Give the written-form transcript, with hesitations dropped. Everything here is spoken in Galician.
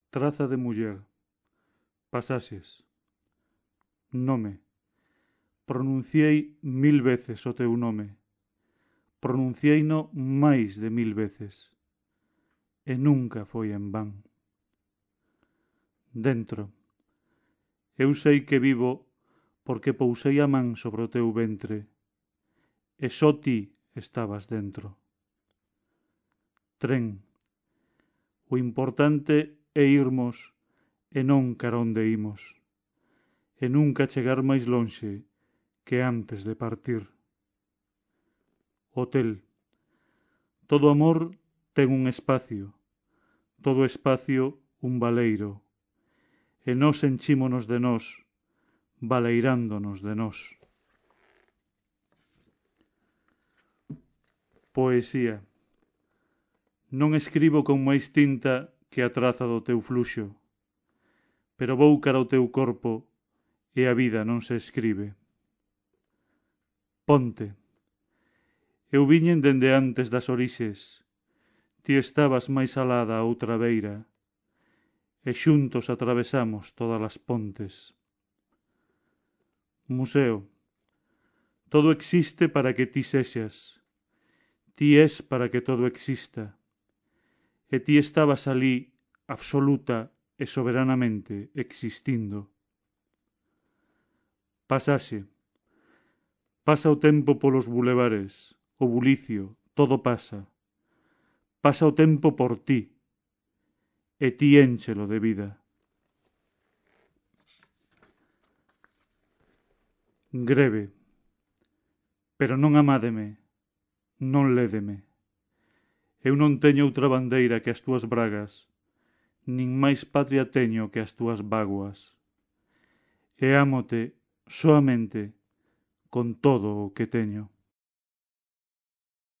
Traza de muller. Pasaxes. Nome. Pronunciei 1000 veces o teu nome. Pronuncieino máis de 1000 veces. E nunca foi en van. Dentro. Eu sei que vivo porque pousei a man sobre o teu ventre. E só ti estabas dentro. Tren. O importante é irmos e non cara onde imos. E nunca chegar máis lonxe que antes de partir. Hotel. Todo amor ten un espacio, todo espacio un baleiro, e nós enchímonos de nós, baleirándonos de nós. Poesía. Non escribo con máis tinta que a traza do teu fluxo, pero vou cara ao teu corpo e a vida non se escribe. Ponte. Eu viñen dende antes das orixes, ti estabas máis alá da outra beira, e xuntos atravesamos todas as pontes. Museo. Todo existe para que ti sexas, ti es para que todo exista, e ti estabas alí absoluta e soberanamente existindo. Pasaxe. Pasa o tempo polos bulevares, o bulicio, todo pasa. Pasa o tempo por ti, e ti énchelo de vida. Greve. Pero non amádeme, non lédeme. Eu non teño outra bandeira que as túas bragas, nin máis patria teño que as túas vaguas. E ámote soamente con todo o que teño.